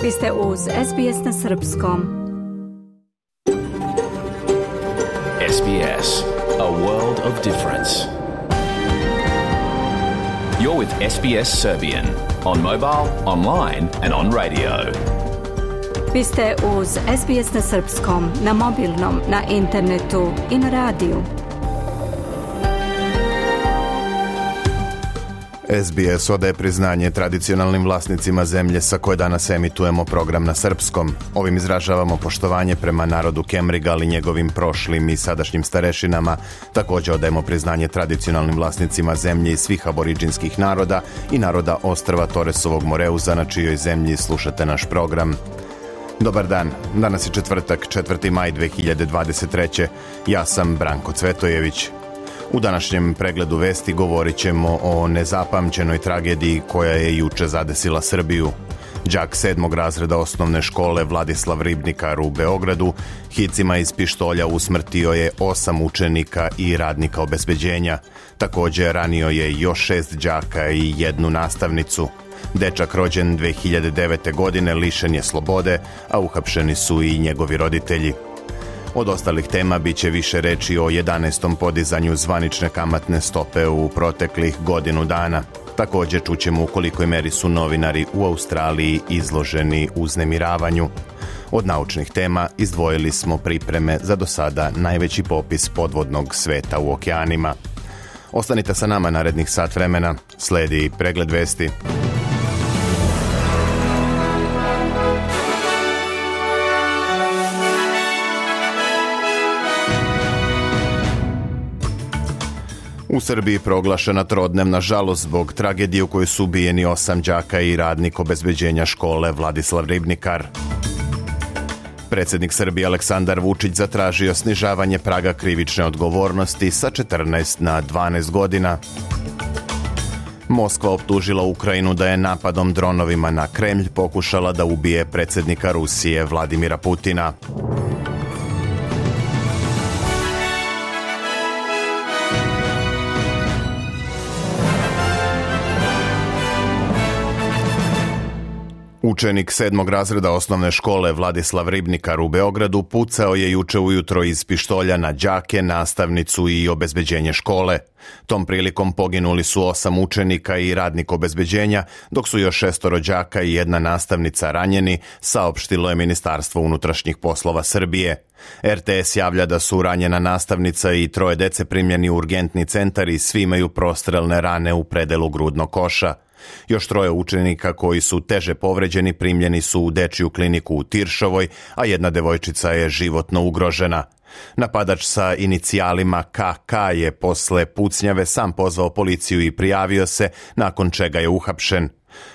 Vi ste uz SBS na srpskom. SBS, a world of difference. You're with SBS Serbian on mobile, online and on radio. Vi ste uz SBS na srpskom, na mobilnom, na internetu i na radiju. SBS odaje priznanje tradicionalnim vlasnicima zemlje sa koje danas emitujemo program na srpskom. Ovim izražavamo poštovanje prema narodu Kemrigal i njegovim prošlim i sadašnjim starešinama. Također odajemo priznanje tradicionalnim vlasnicima zemlje i svih aboriđinskih naroda i naroda ostrva Toresovog Moreuza, na čijoj zemlji slušate naš program. Dobar dan, danas je četvrtak, 4. maj 2023. Ja sam Branko Cvetojević. U današnjem pregledu vesti govorit ćemo o nezapamćenoj tragediji koja je juče zadesila Srbiju. Đak 7. razreda osnovne škole Vladislav Ribnikar u Beogradu hicima iz pištolja usmrtio je 8 učenika i radnika obezbeđenja. Također ranio je još 6 đaka i 1 nastavnicu. Dečak rođen 2009. godine lišen je slobode, a uhapšeni su i njegovi roditelji. Od ostalih tema bit će više reči o 11. podizanju zvanične kamatne stope u proteklih godinu dana. Također čućemo u kolikoj meri su novinari u Australiji izloženi uznemiravanju. Od naučnih tema izdvojili smo pripreme za do sada najveći popis podvodnog sveta u okeanima. Ostanite sa nama narednih sat vremena, sledi pregled vesti. U Srbiji proglašena trodnevna žalost zbog tragedije u kojoj su ubijeni 8 đaka i radnik obezbeđenja škole Vladislav Ribnikar. Predsjednik Srbije Aleksandar Vučić zatražio snižavanje praga krivične odgovornosti sa 14 na 12 godina. Moskva optužila Ukrajinu da je napadom dronovima na Kremlj pokušala da ubije predsjednika Rusije Vladimira Putina. Učenik 7. razreda osnovne škole Vladislav Ribnikar u Beogradu pucao je juče ujutro iz pištolja na đake, nastavnicu i obezbeđenje škole. Tom prilikom poginuli su 8 učenika i radnik obezbeđenja, dok su još 6 đaka i 1 nastavnica ranjeni, saopštilo je Ministarstvo unutrašnjih poslova Srbije. RTS javlja da su ranjena nastavnica i 3 dece primljeni u urgentni centar i svi imaju prostrelne rane u predelu grudnog koša. Još 3 učenika koji su teže povređeni primljeni su u dečiju kliniku u Tiršovoj, a 1 devojčica je životno ugrožena. Napadač sa inicijalima KK je posle pucnjave sam pozvao policiju i prijavio se, nakon čega je uhapšen.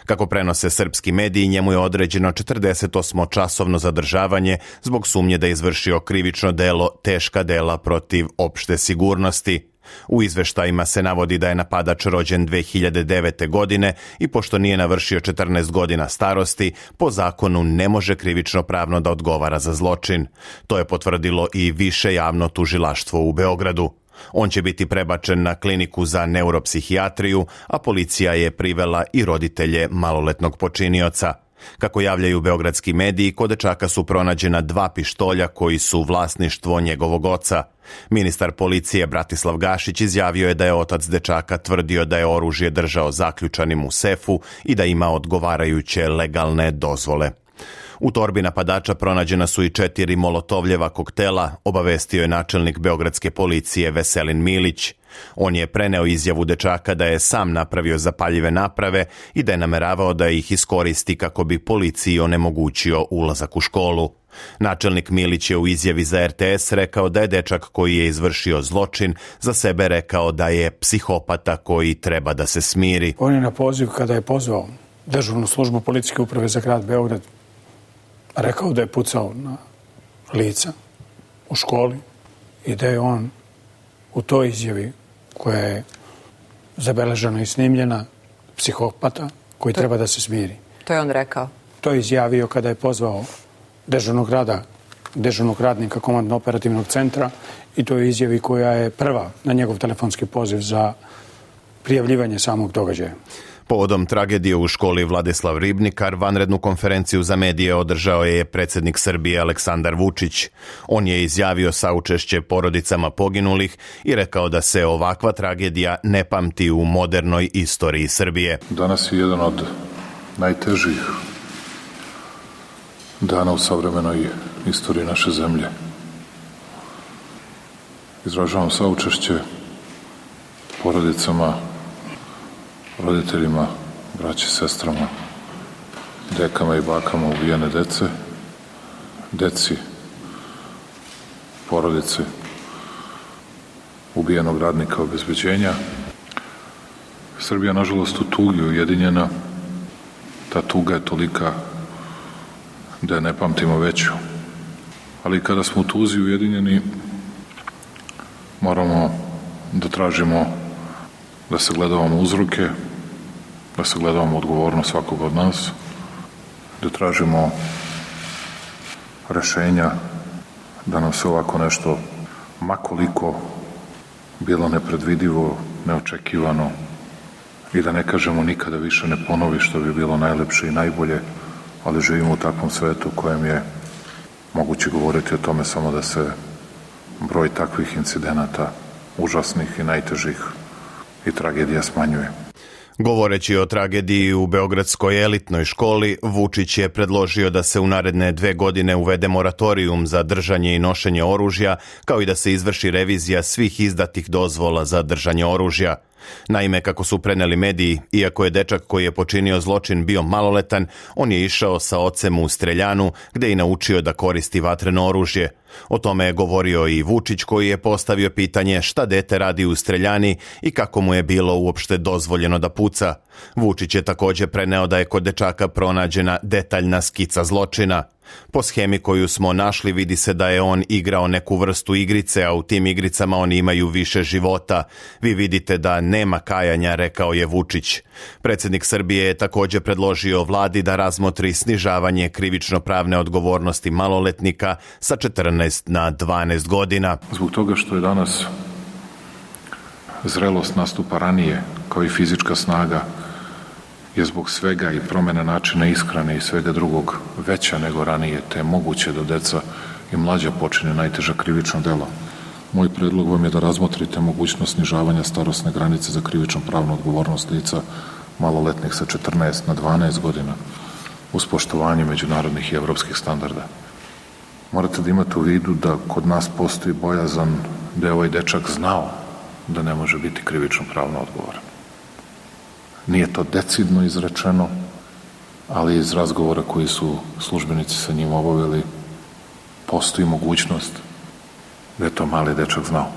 Kako prenose srpski mediji, njemu je određeno 48-časovno zadržavanje zbog sumnje da je izvršio krivično delo teška dela protiv opšte sigurnosti. U izveštajima se navodi da je napadač rođen 2009. godine i pošto nije navršio 14 godina starosti, po zakonu ne može krivično pravno da odgovara za zločin. To je potvrdilo i više javno tužilaštvo u Beogradu. On će biti prebačen na kliniku za neuropsihijatriju, a policija je privela i roditelje maloletnog počinioca. Kako javljaju beogradski mediji, kod dečaka su pronađena 2 pištolja koji su vlasništvo njegovog oca. Ministar policije Bratislav Gašić izjavio je da je otac dečaka tvrdio da je oružje držao zaključanim u sefu i da ima odgovarajuće legalne dozvole. U torbi napadača pronađena su i 4 molotovljeva koktela, obavestio je načelnik beogradske policije Veselin Milić. On je preneo izjavu dečaka da je sam napravio zapaljive naprave i da je nameravao da ih iskoristi kako bi policiji onemogućio ulazak u školu. Načelnik Milić je u izjavi za RTS rekao da je dečak koji je izvršio zločin za sebe rekao da je psihopata koji treba da se smiri. On je na poziv, kada je pozvao dežurnu službu policijske uprave za grad Beograd, rekao da je pucao na lica u školi i da je on u toj izjavi, koja je zabeležena i snimljena, psihopata koji treba da se smiri. To je on rekao? To je izjavio kada je pozvao dežurnog radnika komandno-operativnog centra i to je izjavi koja je prva na njegov telefonski poziv za prijavljivanje samog događaja. Povodom tragedije u školi Vladislav Ribnikar, vanrednu konferenciju za medije održao je predsjednik Srbije Aleksandar Vučić. On je izjavio saučešće porodicama poginulih i rekao da se ovakva tragedija ne pamti u modernoj istoriji Srbije. Danas je jedan od najtežih dana u savremenoj istoriji naše zemlje. Izražavam saučešće porodicama, roditeljima, braći, sestrama, dekama i bakama ubijene deci, porodice ubijenog radnika obezbeđenja. Srbija, nažalost, u tugi ujedinjena. Ta tuga je tolika da je ne pamtimo veću. Ali kada smo u tuzi ujedinjeni, moramo da tražimo da se gledamo uzroke, da se gledamo odgovornost svakog od nas, da tražimo rešenja da nam se ovako nešto, makoliko bilo nepredvidivo, neočekivano, i da ne kažemo nikada više ne ponovi, što bi bilo najlepše i najbolje, ali živimo u takvom svetu u kojem je moguće govoriti o tome samo da se broj takvih incidenata, užasnih i najtežih, i tragedija smanjuje. Govoreći o tragediji u beogradskoj elitnoj školi, Vučić je predložio da se u naredne 2 godine uvede moratorijum za držanje i nošenje oružja, kao i da se izvrši revizija svih izdatih dozvola za držanje oružja. Naime, kako su preneli mediji, iako je dečak koji je počinio zločin bio maloletan, on je išao sa ocem u streljanu, gde je naučio da koristi vatreno oružje. O tome je govorio i Vučić, koji je postavio pitanje šta dete radi u streljani i kako mu je bilo uopšte dozvoljeno da puca. Vučić je također preneo da je kod dečaka pronađena detaljna skica zločina. Po schemi koju smo našli vidi se da je on igrao neku vrstu igrice, a u tim igricama oni imaju više života. Vi vidite da nema kajanja, rekao je Vučić. Predsjednik Srbije je također predložio vladi da razmotri snižavanje krivično-pravne odgovornosti maloletnika sa 14 na 12 godina. Zbog toga što je danas zrelost nastupa ranije, kao i fizička snaga, je zbog svega i promjene načina ishrane i svega drugog veća nego ranije, te je moguće da deca i mlađa počine najteža krivična dela. Moj predlog vam je da razmotrite mogućnost snižavanja starosne granice za krivično pravnu odgovornost lica maloletnih sa 14 na 12 godina uz poštovanje međunarodnih i evropskih standarda. Morate da imate u vidu da kod nas postoji bojazan da je ovaj dečak znao da ne može biti krivično pravno odgovoran. Nije to decidno izrečeno, ali iz razgovora koji su službenici sa njim obavili, postoji mogućnost da je to mali dečak znao.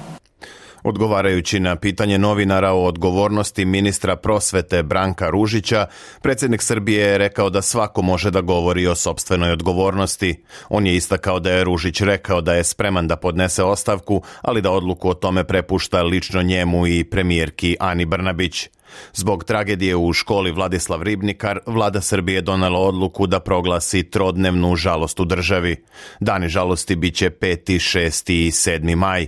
Odgovarajući na pitanje novinara o odgovornosti ministra prosvete Branka Ružića, predsjednik Srbije je rekao da svako može da govori o sopstvenoj odgovornosti. On je istakao da je Ružić rekao da je spreman da podnese ostavku, ali da odluku o tome prepušta lično njemu i premijerki Ani Brnabić. Zbog tragedije u školi Vladislav Ribnikar, vlada Srbije je donela odluku da proglasi trodnevnu žalost u državi. Dani žalosti biće 5., 6. i 7. maj.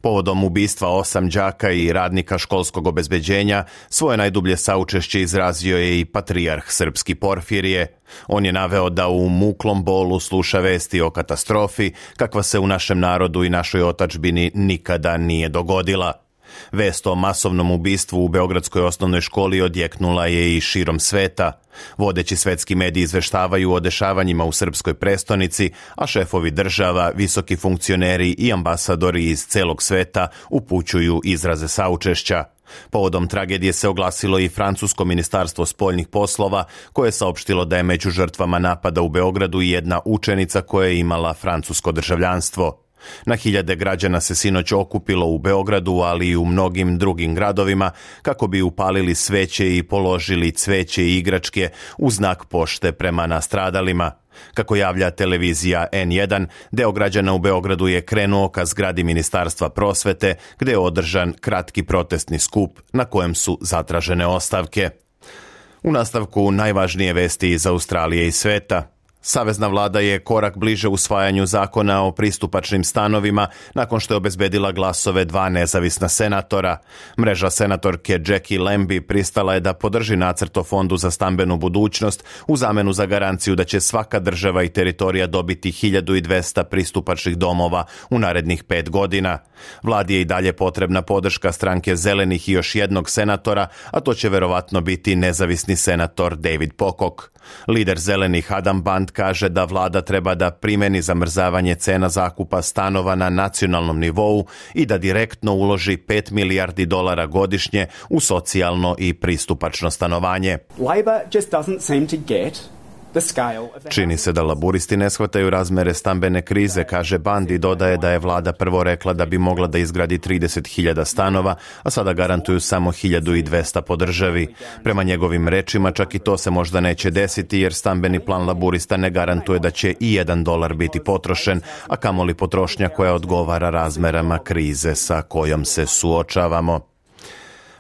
Povodom ubistva 8 đaka i radnika školskog obezbeđenja, svoje najdublje saučešće izrazio je i patrijarh srpski Porfirije. On je naveo da u muklom bolu sluša vesti o katastrofi, kakva se u našem narodu i našoj otadžbini nikada nije dogodila. Vest o masovnom ubistvu u beogradskoj osnovnoj školi odjeknula je i širom sveta. Vodeći svetski mediji izveštavaju o dešavanjima u srpskoj prestonici, a šefovi država, visoki funkcioneri i ambasadori iz celog sveta upućuju izraze saučešća. Povodom tragedije se oglasilo i francusko ministarstvo spoljnih poslova, koje je saopštilo da je među žrtvama napada u Beogradu i jedna učenica koja je imala francusko državljanstvo. Na hiljade građana se sinoć okupilo u Beogradu, ali i u mnogim drugim gradovima, kako bi upalili sveće i položili cveće i igračke u znak pošte prema nastradalima. Kako javlja televizija N1, deo građana u Beogradu je krenuo ka zgradi Ministarstva prosvete, gde je održan kratki protestni skup na kojem su zatražene ostavke. U nastavku najvažnije vesti iz Australije i sveta. Savezna vlada je korak bliže usvajanju zakona o pristupačnim stanovima nakon što je obezbedila glasove 2 nezavisna senatora. Mreža senatorke Jackie Lambie pristala je da podrži nacrt o fondu za stambenu budućnost u zamenu za garanciju da će svaka država i teritorija dobiti 1200 pristupačnih domova u narednih 5 godina. Vladi je i dalje potrebna podrška stranke Zelenih i još jednog senatora, a to će verovatno biti nezavisni senator David Pocock. Lider Zelenih Adam Band kaže da vlada treba da primeni zamrzavanje cena zakupa stanova na nacionalnom nivou i da direktno uloži $5 milijardi godišnje u socijalno i pristupačno stanovanje. Čini se da laburisti ne shvataju razmere stambene krize, kaže Band i dodaje da je vlada prvo rekla da bi mogla da izgradi 30.000 stanova, a sada garantuju samo 1.200 po državi. Prema njegovim rečima čak i to se možda neće desiti jer stambeni plan laburista ne garantuje da će i $1 biti potrošen, a kamoli potrošnja koja odgovara razmerama krize sa kojom se suočavamo.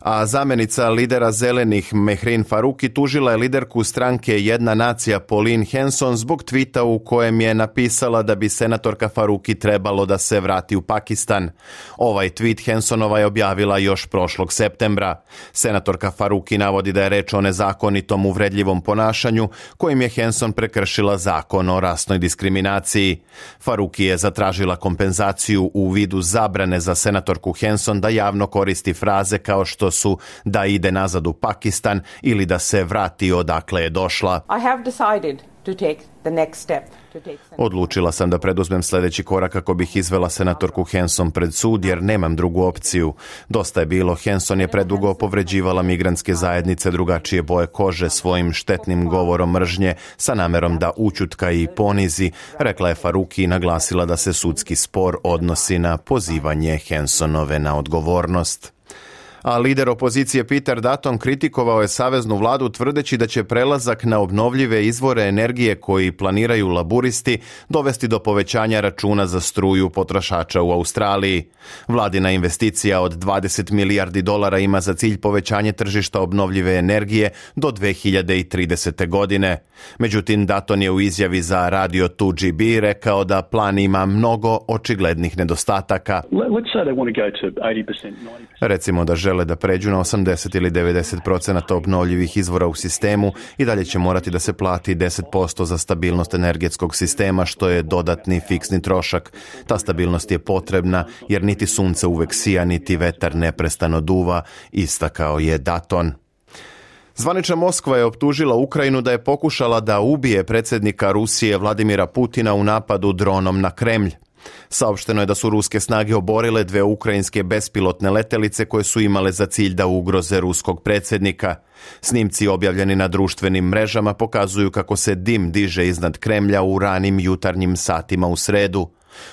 A zamenica lidera Zelenih Mehreen Faruqi tužila je liderku stranke Jedna nacija Pauline Hanson zbog tvita u kojem je napisala da bi senatorka Faruqi trebalo da se vrati u Pakistan. Ovaj tvit Hansonova je objavila još prošlog septembra. Senatorka Faruqi navodi da je reč o nezakonitom uvredljivom ponašanju kojim je Hanson prekršila zakon o rasnoj diskriminaciji. Faruqi je zatražila kompenzaciju u vidu zabrane za senatorku Hanson da javno koristi fraze kao što su da ide nazad u Pakistan ili da se vrati odakle je došla. Odlučila sam da preduzmem sljedeći korak kako bih izvela senatorku Hanson pred sud jer nemam drugu opciju. Dosta je bilo, Hanson je predugo povređivala migrantske zajednice drugačije boje kože svojim štetnim govorom mržnje sa namerom da ućutka i ponizi, rekla je Faruqi i naglasila da se sudski spor odnosi na pozivanje Hansonove na odgovornost. A lider opozicije Peter Dutton kritikovao je saveznu vladu tvrdeći da će prelazak na obnovljive izvore energije koji planiraju laburisti dovesti do povećanja računa za struju potrošača u Australiji. Vladina investicija od $20 milijardi ima za cilj povećanje tržišta obnovljive energije do 2030. godine. Međutim, Dutton je u izjavi za radio 2GB rekao da plan ima mnogo očiglednih nedostataka. Recimo da žele da pređu na 80 ili 90% obnovljivih izvora u sistemu i dalje će morati da se plati 10% za stabilnost energetskog sistema, što je dodatni fiksni trošak. Ta stabilnost je potrebna jer niti sunce uvek sija, niti vetar neprestano duva, istakao je Dutton. Zvanična Moskva je optužila Ukrajinu da je pokušala da ubije predsjednika Rusije Vladimira Putina u napadu dronom na Kremlj. Saopšteno je da su ruske snage oborile 2 ukrajinske bespilotne letelice koje su imale za cilj da ugroze ruskog predsjednika. Snimci objavljeni na društvenim mrežama pokazuju kako se dim diže iznad Kremlja u ranim jutarnjim satima u sredu.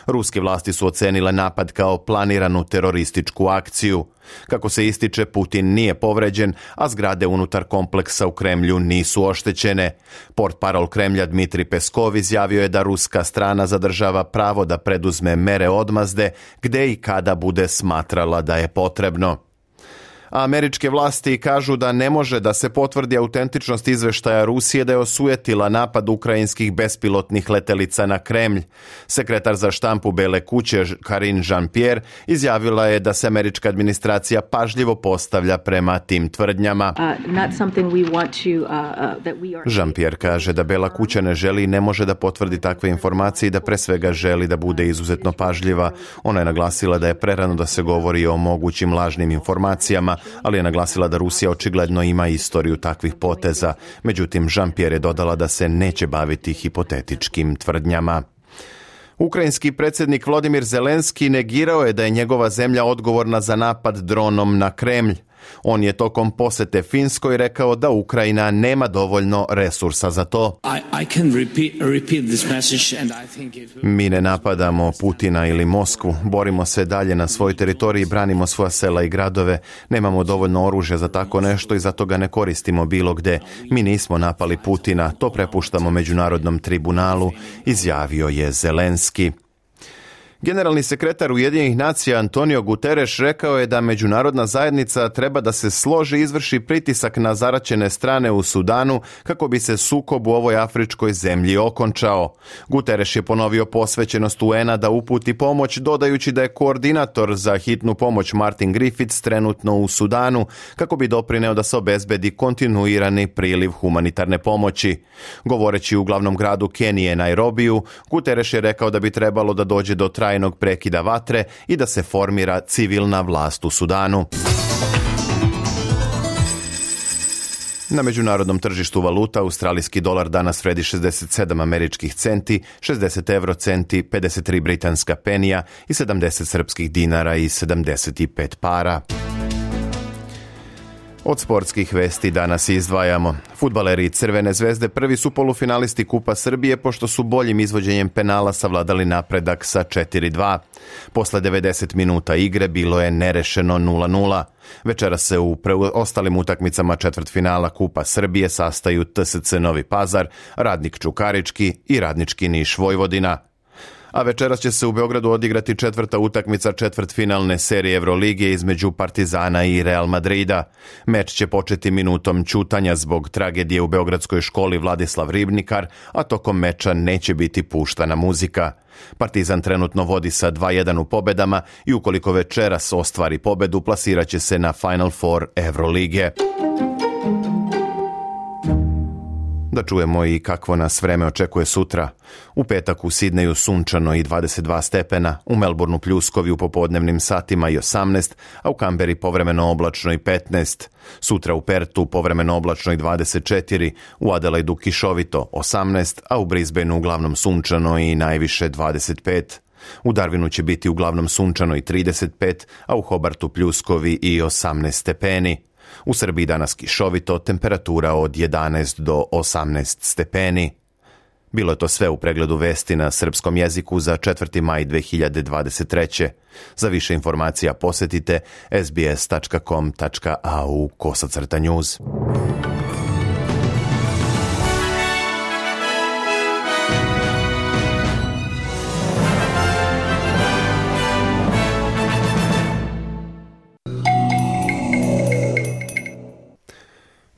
Ruske vlasti su ocenile napad kao planiranu terorističku akciju. Kako se ističe, Putin nije povređen, a zgrade unutar kompleksa u Kremlju nisu oštećene. Portparol Kremlja Dmitri Peskov izjavio je da ruska strana zadržava pravo da preduzme mere odmazde gde i kada bude smatrala da je potrebno. A američke vlasti kažu da ne može da se potvrdi autentičnost izveštaja Rusije da je osujetila napad ukrajinskih bespilotnih letelica na Kremlj. Sekretar za štampu Bele kuće Karine Jean-Pierre izjavila je da se američka administracija pažljivo postavlja prema tim tvrdnjama. Jean-Pierre kaže da Bela kuća ne želi i ne može da potvrdi takve informacije i da pre svega želi da bude izuzetno pažljiva. Ona je naglasila da je prerano da se govori o mogućim lažnim informacijama, ali je naglasila da Rusija očigledno ima istoriju takvih poteza. Međutim, Jean-Pierre je dodala da se neće baviti hipotetičkim tvrdnjama. Ukrajinski predsjednik Volodymyr Zelenski negirao je da je njegova zemlja odgovorna za napad dronom na Kremlj. On je tokom posete Finskoj rekao da Ukrajina nema dovoljno resursa za to. Mi ne napadamo Putina ili Moskvu, borimo se dalje na svojoj teritoriji, branimo svoja sela i gradove, nemamo dovoljno oružja za tako nešto i zato ga ne koristimo bilo gde. Mi nismo napali Putina, to prepuštamo međunarodnom tribunalu, izjavio je Zelenski. Generalni sekretar Ujedinjenih nacija Antonio Guterres rekao je da međunarodna zajednica treba da se složi i izvrši pritisak na zaraćene strane u Sudanu kako bi se sukob u ovoj afričkoj zemlji okončao. Guterres je ponovio posvećenost UN-a da uputi pomoć, dodajući da je koordinator za hitnu pomoć Martin Griffiths trenutno u Sudanu kako bi doprineo da se obezbedi kontinuirani priliv humanitarne pomoći. Govoreći u glavnom gradu Kenije, Nairobiju, Guterres je rekao da bi trebalo da dođe do trajnog prekida vatre i da se formira civilna vlast u Sudanu. Na međunarodnom tržištu valuta australijski dolar danas vredi 67 američkih centi, 60 eurocenti, 53 britanska penija i 70 srpskih dinara i 75 para. Od sportskih vesti danas izdvajamo. Fudbaleri Crvene zvezde prvi su polufinalisti Kupa Srbije pošto su boljim izvođenjem penala savladali napredak sa 4-2. Posle 90 minuta igre bilo je nerešeno 0-0. Večera se u ostalim utakmicama četvrtfinala Kupa Srbije sastaju TSC Novi Pazar, Radnik Čukarički i Radnički Niš Vojvodina. A večeras će se u Beogradu odigrati četvrta utakmica četvrtfinalne serije Evrolige između Partizana i Real Madrida. Meč će početi minutom ćutanja zbog tragedije u beogradskoj školi Vladislav Ribnikar, a tokom meča neće biti puštana muzika. Partizan trenutno vodi sa 2-1 u pobedama i ukoliko večeras ostvari pobedu, plasirat će se na Final Four Evrolige. Da čujemo i kakvo nas vreme očekuje sutra. U petak u Sidneju sunčano i 22 stepena, u Melbourneu pljuskovi u popodnevnim satima i 18, a u Kamberi povremeno oblačno i 15. Sutra u Pertu povremeno oblačno i 24, u Adelaidu kišovito 18, a u Brisbaneu uglavnom sunčano i najviše 25. U Darwinu će biti uglavnom sunčano i 35, a u Hobartu pljuskovi i 18 stepeni. U Srbiji danas kišovito, temperatura od 11 do 18 stepeni. Bilo je to sve u pregledu vesti na srpskom jeziku za 4. maj 2023. Za više informacija posetite sbs.com.au/news.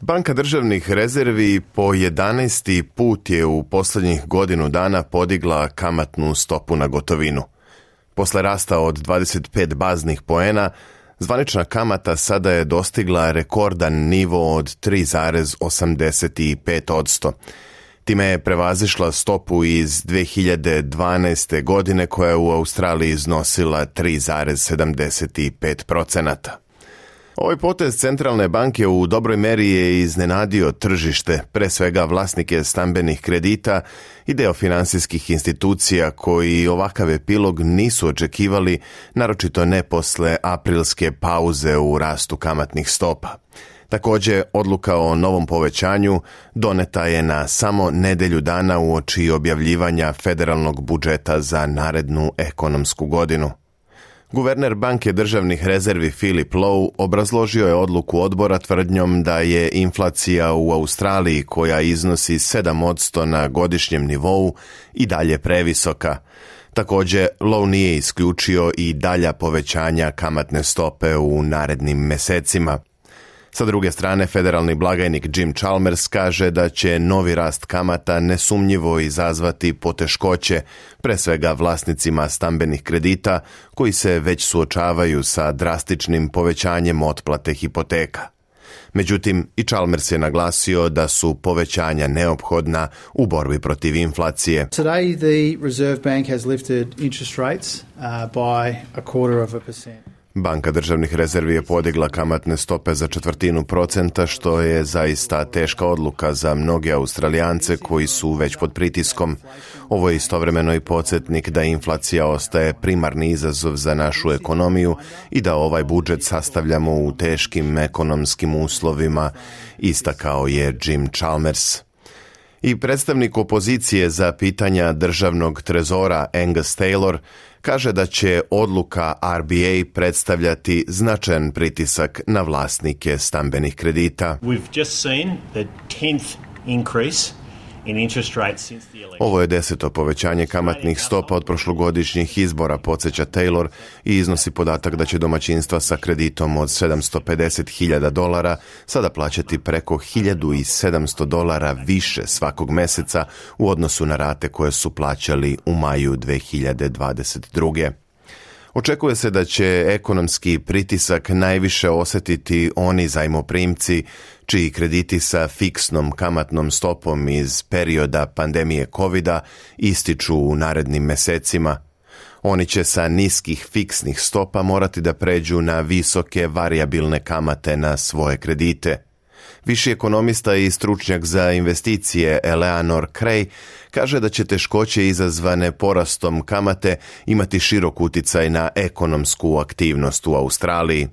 Banka državnih rezervi po 11. put je u posljednjih godinu dana podigla kamatnu stopu na gotovinu. Posle rasta od 25 baznih poena, zvanična kamata sada je dostigla rekordan nivo od 3,85%. Time je prevazišla stopu iz 2012. godine koja je u Australiji iznosila 3,75%. Ovaj potez centralne banke u dobroj meri je iznenadio tržište, pre svega vlasnike stambenih kredita i deo finansijskih institucija koji ovakav epilog nisu očekivali, naročito ne posle aprilske pauze u rastu kamatnih stopa. Također, odluka o novom povećanju doneta je na samo nedelju dana uoči objavljivanja federalnog budžeta za narednu ekonomsku godinu. Guverner banke državnih rezervi Philip Lowe obrazložio je odluku odbora tvrdnjom da je inflacija u Australiji, koja iznosi 7% na godišnjem nivou, i dalje previsoka. Također, Lowe nije isključio i dalja povećanja kamatne stope u narednim mesecima. Sa druge strane, federalni blagajnik Jim Chalmers kaže da će novi rast kamata nesumnjivo izazvati poteškoće, pre svega vlasnicima stambenih kredita koji se već suočavaju sa drastičnim povećanjem otplate hipoteka. Međutim, i Chalmers je naglasio da su povećanja neophodna u borbi protiv inflacije. Today the Reserve Bank has lifted interest rates by 0,25%. Banka državnih rezervi je podigla kamatne stope za 0,25%, što je zaista teška odluka za mnoge Australijance koji su već pod pritiskom. Ovo je istovremeno i podsjetnik da inflacija ostaje primarni izazov za našu ekonomiju i da ovaj budžet sastavljamo u teškim ekonomskim uslovima, istakao je Jim Chalmers. I predstavnik opozicije za pitanja državnog trezora Angus Taylor kaže da će odluka RBA predstavljati značajan pritisak na vlasnike stambenih kredita. We've just seen the 10th increase Ovo je 10. povećanje kamatnih stopa od prošlogodišnjih izbora, podsjeća Taylor, i iznosi podatak da će domaćinstva sa kreditom od $750.000 sada plaćati preko $1.700 više svakog meseca u odnosu na rate koje su plaćali u maju 2022. Očekuje se da će ekonomski pritisak najviše osjetiti oni zajmoprimci čiji krediti sa fiksnom kamatnom stopom iz perioda pandemije covida ističu u narednim mesecima. Oni će sa niskih fiksnih stopa morati da pređu na visoke varijabilne kamate na svoje kredite. Viši ekonomista i stručnjak za investicije Eleanor Cray kaže da će teškoće izazvane porastom kamate imati širok uticaj na ekonomsku aktivnost u Australiji.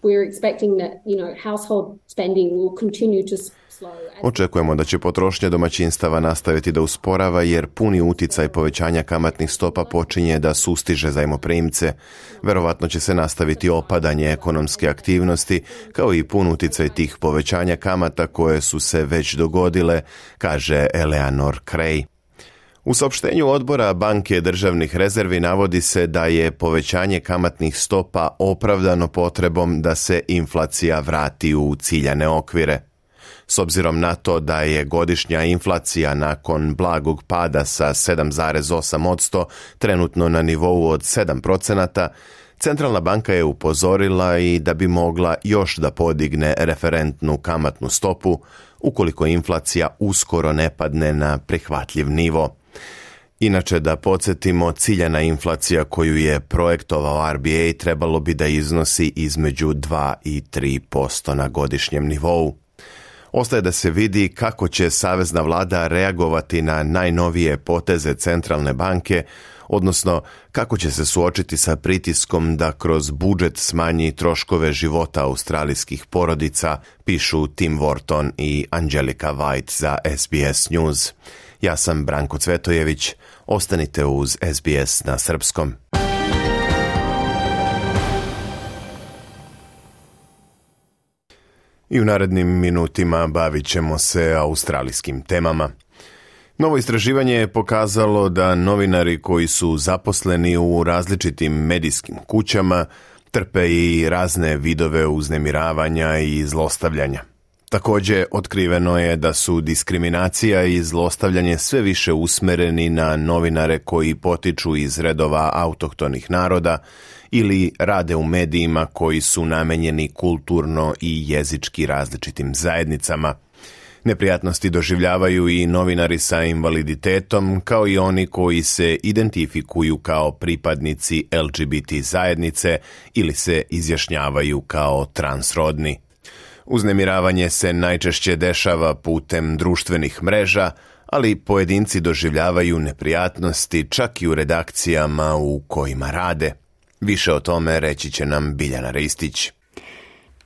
Očekujemo da će potrošnja domaćinstava nastaviti da usporava jer puni uticaj povećanja kamatnih stopa počinje da sustiže zajmoprimce. Verovatno će se nastaviti opadanje ekonomske aktivnosti kao i pun uticaj tih povećanja kamata koje su se već dogodile, kaže Eleanor Cray. U saopštenju odbora Banke državnih rezervi navodi se da je povećanje kamatnih stopa opravdano potrebom da se inflacija vrati u ciljane okvire. S obzirom na to da je godišnja inflacija nakon blagog pada sa 7,8% trenutno na nivou od 7%, Centralna banka je upozorila i da bi mogla još da podigne referentnu kamatnu stopu ukoliko inflacija uskoro ne padne na prihvatljiv nivo. Inače, da podsjetimo, ciljana inflacija koju je projektovao RBA trebalo bi da iznosi između 2 i 3% na godišnjem nivou. Ostaje da se vidi kako će savezna vlada reagovati na najnovije poteze centralne banke, odnosno kako će se suočiti sa pritiskom da kroz budžet smanji troškove života australijskih porodica, pišu Tim Wharton i Angelika White za SBS News. Ja sam Branko Cvetojević, ostanite uz SBS na srpskom. I u narednim minutima bavit ćemo se australijskim temama. Novo istraživanje je pokazalo da novinari koji su zaposleni u različitim medijskim kućama trpe i razne vidove uznemiravanja i zlostavljanja. Također, otkriveno je da su diskriminacija i zlostavljanje sve više usmereni na novinare koji potiču iz redova autohtonih naroda ili rade u medijima koji su namenjeni kulturno i jezički različitim zajednicama. Neprijatnosti doživljavaju i novinari sa invaliditetom, kao i oni koji se identifikuju kao pripadnici LGBT zajednice ili se izjašnjavaju kao transrodni. Uznemiravanje se najčešće dešava putem društvenih mreža, ali pojedinci doživljavaju neprijatnosti čak i u redakcijama u kojima rade. Više o tome reći će nam Biljana Ristić.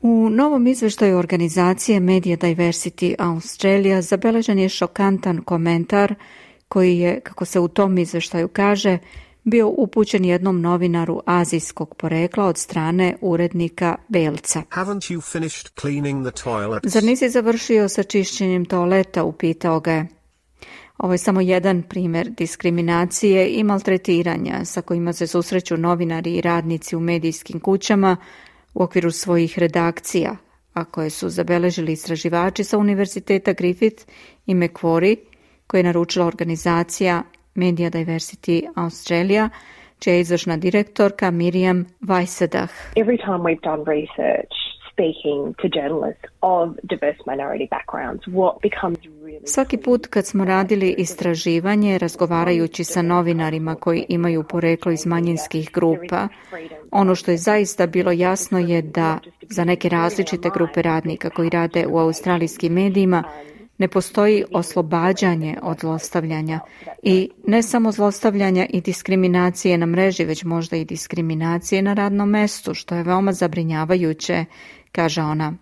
U novom izveštaju organizacije Media Diversity Australia zabeležen je šokantan komentar koji je, kako se u tom izveštaju kaže, bio upućen jednom novinaru azijskog porekla od strane urednika belca. Zar nisi završio sa čišćenjem toaleta, upitao ga je. Ovo je samo jedan primjer diskriminacije i maltretiranja sa kojima se susreću novinari i radnici u medijskim kućama u okviru svojih redakcija, a koje su zabeležili istraživači sa Univerziteta Griffith i Macquarie, koje je naručila organizacija Media Diversity Australia, čija je izvršna direktorka Miriam Weissedah. Every time we've done research speaking to journalists of diverse minority backgrounds, what becomes really... Svaki put kad smo radili istraživanje, razgovarajući sa novinarima koji imaju poreklo iz manjinskih grupa, ono što je zaista bilo jasno je da za neke različite grupe radnika koji rade u australijskim medijima ne postoji oslobađanje od zlostavljanja i ne samo zlostavljanja i diskriminacije na mreži, već možda i diskriminacije na radnom mestu, što je veoma zabrinjavajuće, kaže ona.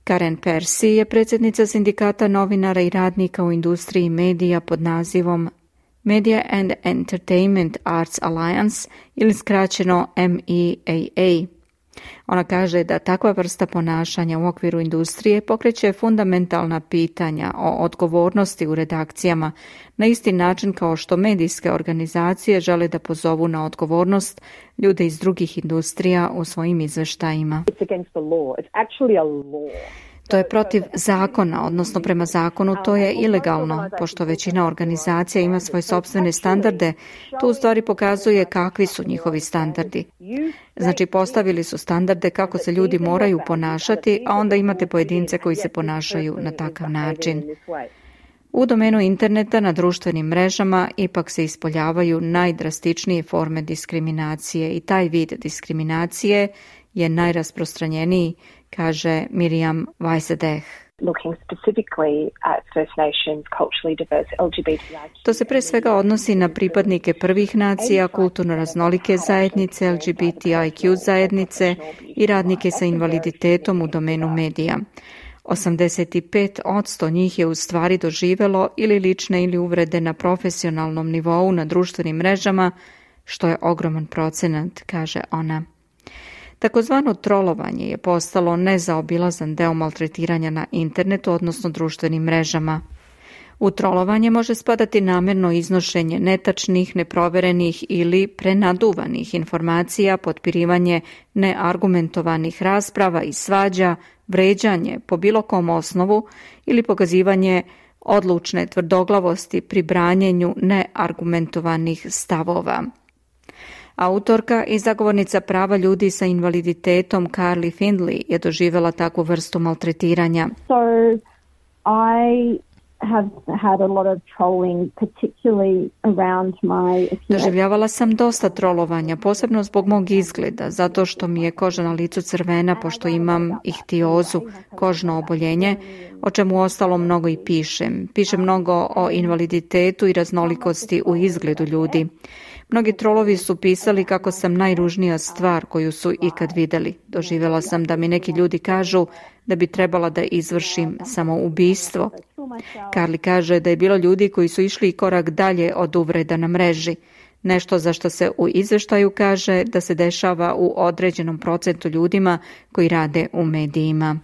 Karen Percy je predsjednica sindikata novinara i radnika u industriji medija pod nazivom Media and Entertainment Arts Alliance ili skraćeno MEAA. Ona kaže da takva vrsta ponašanja u okviru industrije pokreće fundamentalna pitanja o odgovornosti u redakcijama na isti način kao što medijske organizacije žele da pozovu na odgovornost ljude iz drugih industrija u svojim izveštajima. To je protiv zakona, odnosno prema zakonu to je ilegalno, pošto većina organizacija ima svoje sopstvene standarde, to u stvari pokazuje kakvi su njihovi standardi. Znači postavili su standarde kako se ljudi moraju ponašati, a onda imate pojedince koji se ponašaju na takav način. U domenu interneta na društvenim mrežama ipak se ispoljavaju najdrastičnije forme diskriminacije i taj vid diskriminacije je najrasprostranjeniji, kaže Miriam Weisedech. To se pre svega odnosi na pripadnike prvih nacija, kulturno raznolike zajednice, LGBTIQ zajednice i radnike sa invaliditetom u domenu medija. 85% njih je u stvari doživelo ili lične ili uvrede na profesionalnom nivou na društvenim mrežama, što je ogroman procenat, kaže ona. Takozvano trolovanje je postalo nezaobilazan deo maltretiranja na internetu, odnosno društvenim mrežama. U trolovanje može spadati namjerno iznošenje netačnih, neproverenih ili prenaduvanih informacija, potpirivanje neargumentovanih rasprava i svađa, vređanje po bilo kom osnovu ili pokazivanje odlučne tvrdoglavosti pri branjenju neargumentovanih stavova. Autorka i zagovornica prava ljudi sa invaliditetom Carly Findlay je doživjela takvu vrstu maltretiranja. Doživljavala sam dosta trolovanja, posebno zbog mog izgleda, zato što mi je koža na licu crvena, pošto imam ihtiozu, kožno oboljenje, o čemu ostalo mnogo i pišem. Pišem mnogo o invaliditetu i raznolikosti u izgledu ljudi. Mnogi trolovi su pisali kako sam najružnija stvar koju su ikad vidjeli. Doživjela sam da mi neki ljudi kažu da bi trebala da izvršim samoubistvo. Carly kaže da je bilo ljudi koji su išli i korak dalje od uvreda na mreži. Nešto za što se u izveštaju kaže da se dešava u određenom procentu ljudima koji rade u medijima.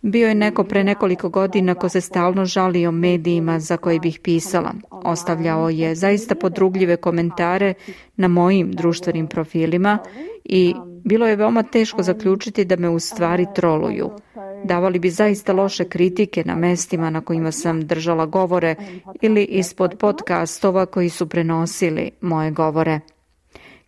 Bio je neko pre nekoliko godina ko se stalno žalio medijima za koje bih pisala. Ostavljao je zaista podrugljive komentare na mojim društvenim profilima i bilo je veoma teško zaključiti da me u stvari troluju. Davali bi zaista loše kritike na mestima na kojima sam držala govore ili ispod podcastova koji su prenosili moje govore.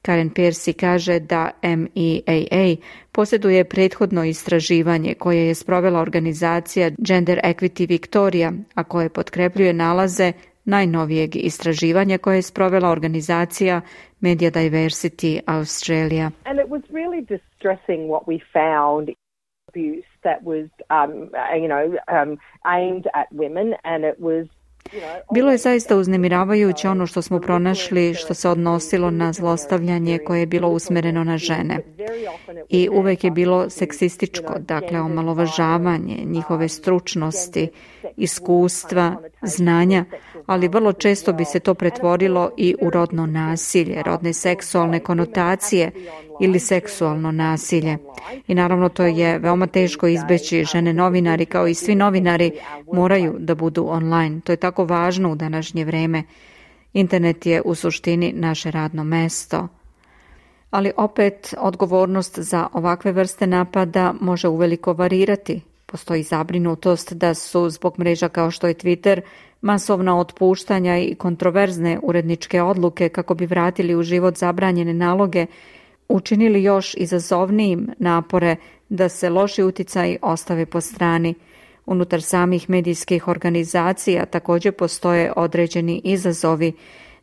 Karen Piercy kaže da MEAA posjeduje prethodno istraživanje koje je sprovela organizacija Gender Equity Victoria, a koje potkrepljuje nalaze najnovijeg istraživanja koje je sprovela organizacija Media Diversity Australia. And it was really distressing what we found. That was, aimed at women, and it was. Bilo je zaista uznemiravajuće ono što smo pronašli što se odnosilo na zlostavljanje koje je bilo usmereno na žene. I uvek je bilo seksističko, dakle omalovažavanje njihove stručnosti, iskustva, znanja, ali vrlo često bi se to pretvorilo i u rodno nasilje, rodne seksualne konotacije ili seksualno nasilje. I naravno to je veoma teško izbeći. Žene novinari kao i svi novinari moraju da budu online. To je tako važno u današnje vreme. Internet je u suštini naše radno mesto. Ali opet odgovornost za ovakve vrste napada može uveliko varirati. Postoji zabrinutost da su zbog mreža kao što je Twitter masovna otpuštanja i kontroverzne uredničke odluke kako bi vratili u život zabranjene naloge učinili još izazovnijim napore da se loši uticaji ostave po strani. Unutar samih medijskih organizacija također postoje određeni izazovi.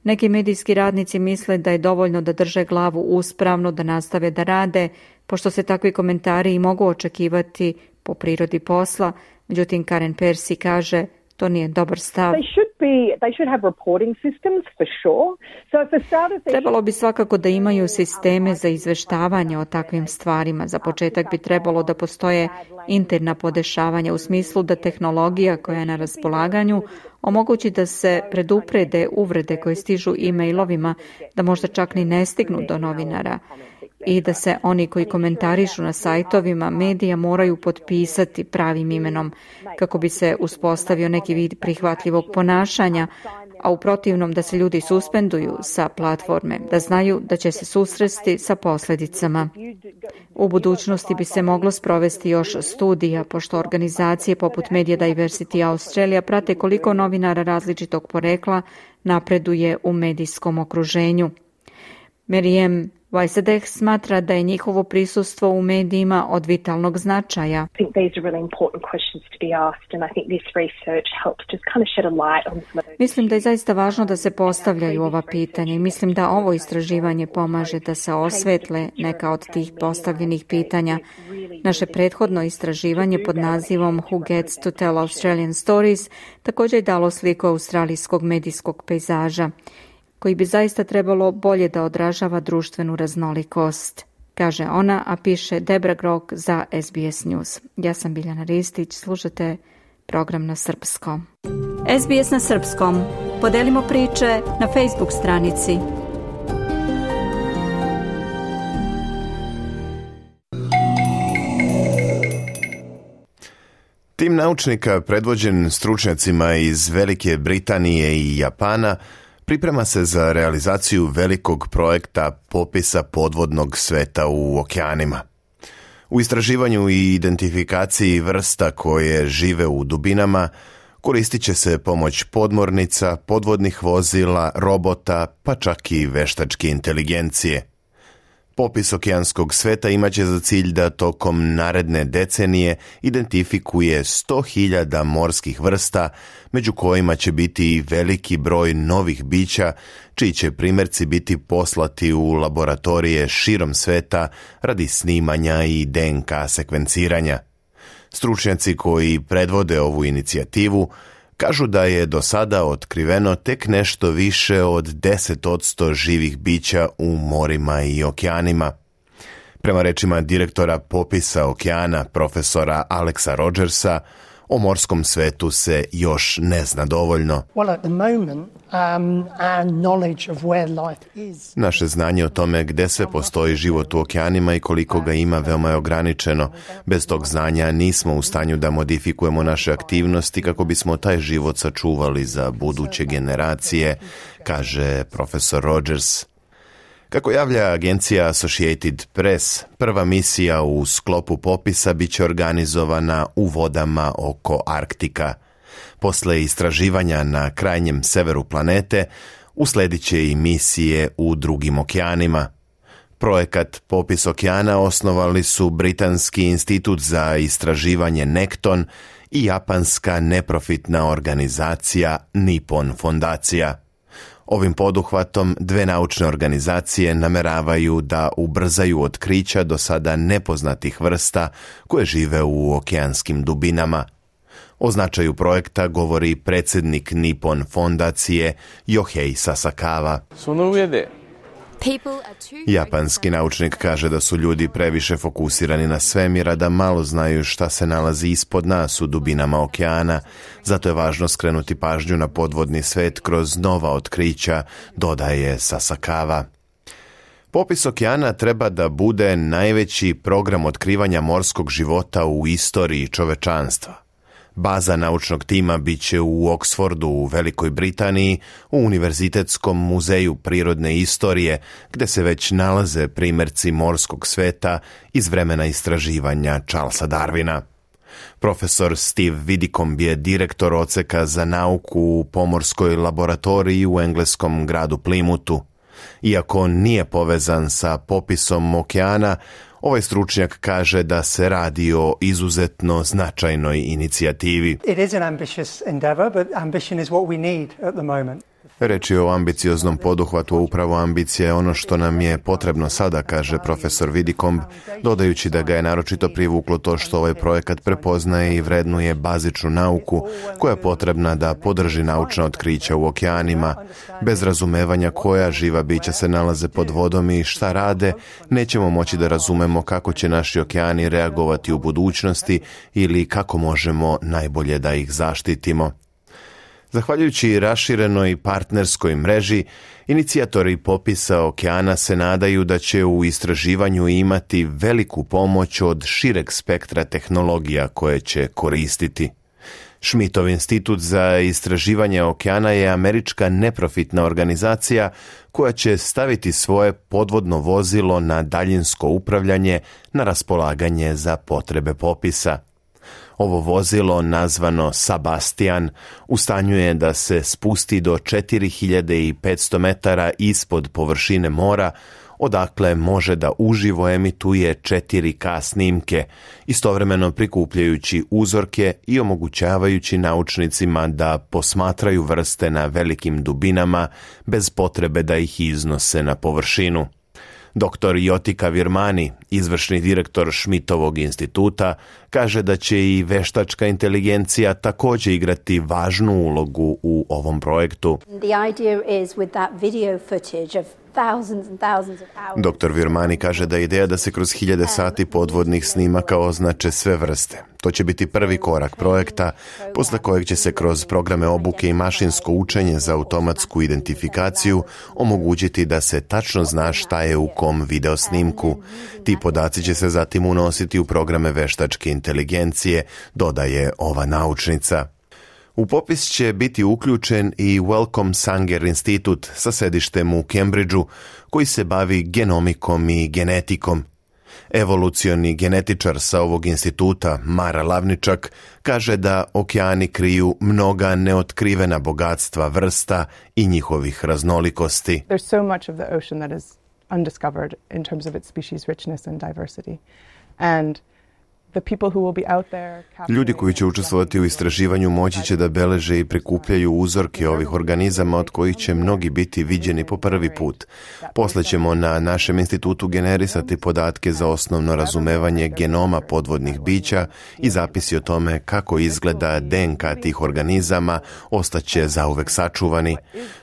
Neki medijski radnici misle da je dovoljno da drže glavu uspravno, da nastave da rade, pošto se takvi komentari i mogu očekivati po prirodi posla. Međutim, Karen Piercy kaže To nije dobar stav. Trebalo bi svakako da imaju sisteme za izveštavanje o takvim stvarima. Za početak bi trebalo da postoje interna podešavanja u smislu da tehnologija koja je na raspolaganju omogući da se preduprede uvrede koje stižu e-mailovima, da možda čak ni ne stignu do novinara, i da se oni koji komentarišu na sajtovima medija moraju potpisati pravim imenom kako bi se uspostavio neki vid prihvatljivog ponašanja, a u protivnom da se ljudi suspenduju sa platforme, da znaju da će se susresti sa posljedicama. U budućnosti bi se moglo sprovesti još studija, pošto organizacije poput Media Diversity Australia prate koliko novinara različitog porekla napreduje u medijskom okruženju. Miriam Weisedech smatra da je njihovo prisustvo u medijima od vitalnog značaja. Mislim da je zaista važno da se postavljaju ova pitanja i mislim da ovo istraživanje pomaže da se osvetle neka od tih postavljenih pitanja. Naše prethodno istraživanje pod nazivom Who Gets to Tell Australian Stories također je dalo sliku australijskog medijskog pejzaža, koji bi zaista trebalo bolje da odražava društvenu raznolikost, kaže ona, a piše Debra Grok za SBS News. Ja sam Biljana Ristić, slušate program na srpskom. SBS na srpskom. Podelimo priče na Facebook stranici. Tim naučnika, predvođen stručnjacima iz Velike Britanije i Japana, priprema se za realizaciju velikog projekta popisa podvodnog sveta u okeanima. U istraživanju i identifikaciji vrsta koje žive u dubinama koristit će se pomoć podmornica, podvodnih vozila, robota, pa čak i veštačke inteligencije. Popis okeanskog sveta imaće za cilj da tokom naredne decenije identifikuje 100.000 morskih vrsta, među kojima će biti i veliki broj novih bića, čiji će primjerci biti poslati u laboratorije širom sveta radi snimanja i DNK sekvenciranja. Stručnjaci koji predvode ovu inicijativu kažu da je do sada otkriveno tek nešto više od 10% živih bića u morima i okeanima. Prema rečima direktora popisa okeana, profesora Alexa Rogersa, o morskom svetu se još ne zna dovoljno. Naše znanje o tome gde sve postoji život u okeanima i koliko ga ima veoma je ograničeno. Bez tog znanja nismo u stanju da modifikujemo naše aktivnosti kako bismo taj život sačuvali za buduće generacije, kaže profesor Rogers. Kako javlja agencija Associated Press, prva misija u sklopu popisa biće organizovana u vodama oko Arktika. Posle istraživanja na krajnjem severu planete, usledit će i misije u drugim okeanima. Projekat Popis okeana osnovali su Britanski institut za istraživanje Nekton i japanska neprofitna organizacija Nippon fondacija. Ovim poduhvatom dve naučne organizacije nameravaju da ubrzaju otkrića do sada nepoznatih vrsta koje žive u okeanskim dubinama. O značaju projekta govori predsjednik Nippon fondacije Yohei Sasakawa. Japanski naučnik kaže da su ljudi previše fokusirani na svemir, a da malo znaju šta se nalazi ispod nas u dubinama okeana. Zato je važno skrenuti pažnju na podvodni svet kroz nova otkrića, dodaje Sasakawa. Popis okeana treba da bude najveći program otkrivanja morskog života u istoriji čovečanstva. Baza naučnog tima biće u Oxfordu u Velikoj Britaniji, u Univerzitetskom muzeju prirodne istorije, gde se već nalaze primjerci morskog sveta iz vremena istraživanja Charlesa Darwina. Profesor Steve Widdicombe je direktor odseka za nauku u pomorskoj laboratoriji u engleskom gradu Plymouthu. Iako nije povezan sa popisom okeana, ovaj stručnjak kaže da se radi o izuzetno značajnoj inicijativi. Reč je o ambicioznom poduhvatu, upravo ambicija je ono što nam je potrebno sada, kaže profesor Widdicombe, dodajući da ga je naročito privuklo to što ovaj projekat prepoznaje i vrednuje bazičnu nauku koja je potrebna da podrži naučna otkrića u okeanima. Bez razumevanja koja živa bića se nalaze pod vodom i šta rade, nećemo moći da razumemo kako će naši okeani reagovati u budućnosti ili kako možemo najbolje da ih zaštitimo. Zahvaljujući raširenoj partnerskoj mreži, inicijatori popisa okeana se nadaju da će u istraživanju imati veliku pomoć od šireg spektra tehnologija koje će koristiti. Schmidtov institut za istraživanje okeana je američka neprofitna organizacija koja će staviti svoje podvodno vozilo na daljinsko upravljanje na raspolaganje za potrebe popisa. Ovo vozilo, nazvano Sebastian, u stanju je da se spusti do 4500 metara ispod površine mora, odakle može da uživo emituje 4K snimke, istovremeno prikupljajući uzorke i omogućavajući naučnicima da posmatraju vrste na velikim dubinama bez potrebe da ih iznose na površinu. Dr. Jotika Virmani, izvršni direktor Schmidtovog instituta, kaže da će i veštačka inteligencija također igrati važnu ulogu u ovom projektu. Dr. Virmani kaže da je ideja da se kroz 1000 sati podvodnih snimaka označe sve vrste. To će biti prvi korak projekta, posle kojeg će se kroz programe obuke i mašinsko učenje za automatsku identifikaciju omogućiti da se tačno zna šta je u kom video snimku. Ti podaci će se zatim unositi u programe veštačke inteligencije, dodaje ova naučnica. U popis će biti uključen i Wellcome Sanger institut sa sedištem u Cambridgeu, koji se bavi genomikom i genetikom. Evolucioni genetičar sa ovog instituta, Mara Lavničak, kaže da okeani kriju mnoga neotkrivena bogatstva vrsta i njihovih raznolikosti. There's so much of the ocean that is undiscovered in terms of its species richness and diversity. And ljudi koji će učestvovati u istraživanju moći će da beleže i prikupljaju uzorke ovih organizama od kojih će mnogi biti viđeni po prvi put. Posle ćemo na našem institutu generisati podatke za osnovno razumevanje genoma podvodnih bića i zapisi o tome kako izgleda DNK tih organizama ostaće zauvek sačuvani.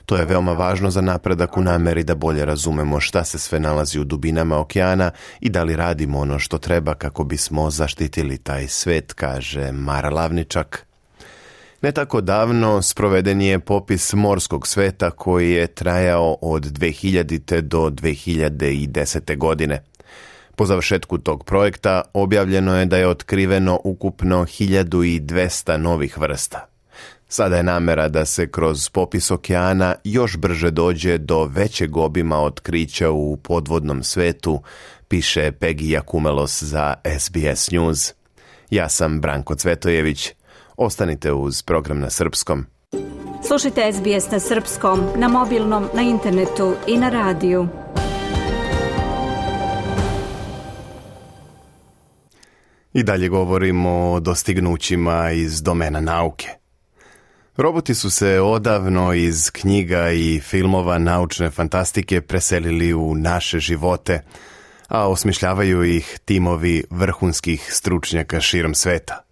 To je veoma važno za napredak u nameri da bolje razumemo šta se sve nalazi u dubinama okeana i da li radimo ono što treba kako bismo zaštitili taj svet, kaže Mara Lavničak. Ne tako davno sproveden je popis morskog sveta koji je trajao od 2000. do 2010. godine. Po završetku tog projekta objavljeno je da je otkriveno ukupno 1200 novih vrsta. Sada je namera da se kroz popis okeana još brže dođe do većeg obima otkrića u podvodnom svetu, piše Peggy Jakumelos za SBS News. Ja sam Branko Cvetojević. Ostanite uz program na srpskom. Slušajte SBS na srpskom, na mobilnom, na internetu i na radiju. I dalje govorimo o dostignućima iz domena nauke. Roboti su se odavno iz knjiga i filmova naučne fantastike preselili u naše živote, a osmišljavaju ih timovi vrhunskih stručnjaka širom sveta.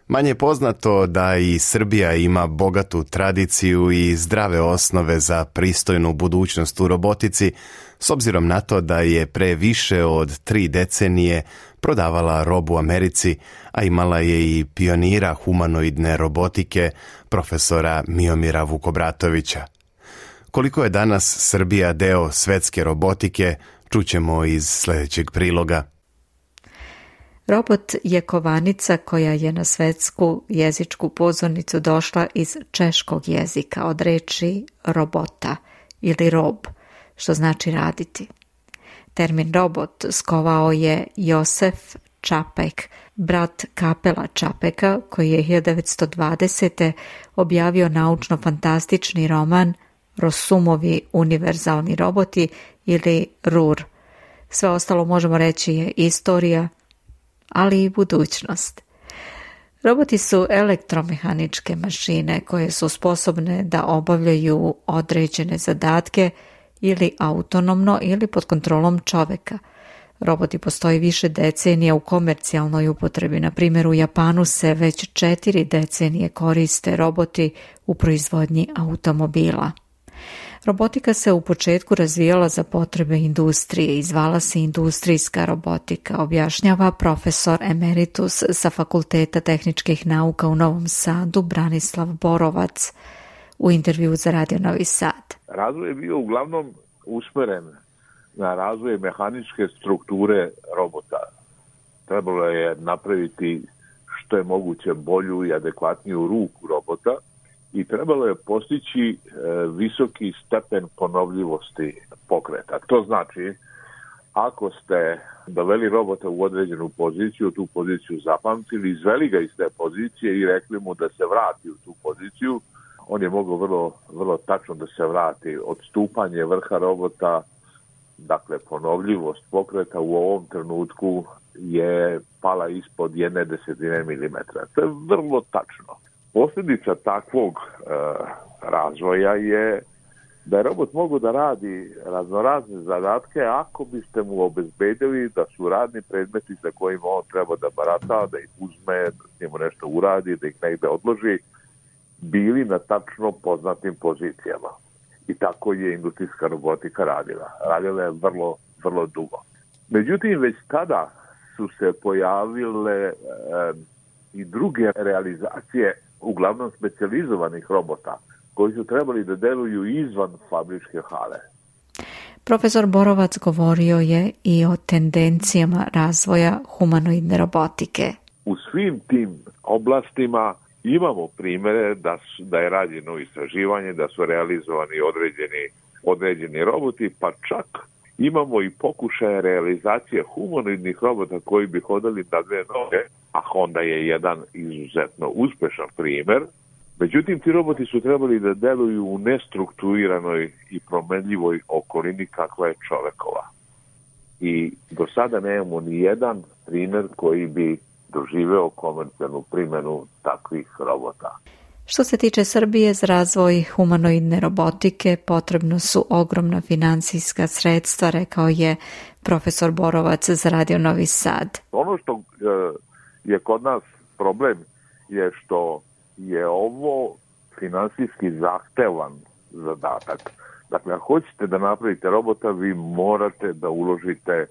Manje je poznato da i Srbija ima bogatu tradiciju i zdrave osnove za pristojnu budućnost u robotici, s obzirom na to da je pre više od 3 decenije prodavala robu Americi, a imala je i pionira humanoidne robotike, profesora Miomira Vukobratovića. Koliko je danas Srbija deo svetske robotike, čućemo iz sljedećeg priloga. Robot je kovanica koja je na svetsku jezičku pozornicu došla iz češkog jezika od reči robota ili rob, što znači raditi. Termin robot skovao je Josef Čapek, brat Kapela Čapeka, koji je 1920. objavio naučno-fantastični roman Rosumovi univerzalni roboti ili RUR. Sve ostalo možemo reći je istorija, ali i budućnost. Roboti su elektromehaničke mašine koje su sposobne da obavljaju određene zadatke ili autonomno ili pod kontrolom čoveka. Roboti postoji više decenija u komercijalnoj upotrebi. Na primjer, u Japanu se već 4 decenije koriste roboti u proizvodnji automobila. Robotika se u početku razvijala za potrebe industrije i zvala se industrijska robotika, objašnjava profesor emeritus sa Fakulteta tehničkih nauka u Novom Sadu Branislav Borovac u intervju za Radio Novi Sad. Razvoj je bio uglavnom usmeren na razvoj mehaničke strukture robota. Trebalo je napraviti što je moguće bolju i adekvatniju ruku robota i trebalo je postići visoki stepen ponovljivosti pokreta. To znači, ako ste doveli robota u određenu poziciju, tu poziciju zapamtili, izveli ga iz te pozicije i rekli mu da se vrati u tu poziciju, on je mogao vrlo tačno da se vrati. Odstupanje vrha robota, dakle ponovljivost pokreta u ovom trenutku je pala ispod 1/10 milimetra. To je vrlo tačno. Posljedica takvog razvoja je da je robot mogao da radi raznorazne zadatke ako biste mu obezbedili da su radni predmeti za kojima on treba da barata, da ih uzme, da s njemu nešto uradi, da ih negde odloži, bili na tačno poznatim pozicijama. I tako je industrijska robotika radila. Radila je vrlo dugo. Međutim, već tada su se pojavile i druge realizacije, uglavnom specijalizovanih robota, koji su trebali da deluju izvan fabričke hale. Profesor Borovac govorio je i o tendencijama razvoja humanoidne robotike. U svim tim oblastima imamo primere da je rađeno istraživanje, da su realizovani određeni roboti, pa čak imamo i pokušaje realizacije humanoidnih robota koji bi hodali na 2 noge, a Honda je jedan izuzetno uspešan primer. Međutim, ti roboti su trebali da deluju u nestrukturiranoj i promenljivoj okolini kakva je čovekova. I do sada nemamo ni jedan primer koji bi doživeo komercijalnu primjenu takvih robota. Što se tiče Srbije, za razvoj humanoidne robotike potrebno su ogromna financijska sredstva, rekao je profesor Borovac za Radio Novi Sad. Ono što je kod nas problem je što je ovo finansijski zahtevan zadatak. Dakle, ako hoćete da napravite robota, vi morate da uložite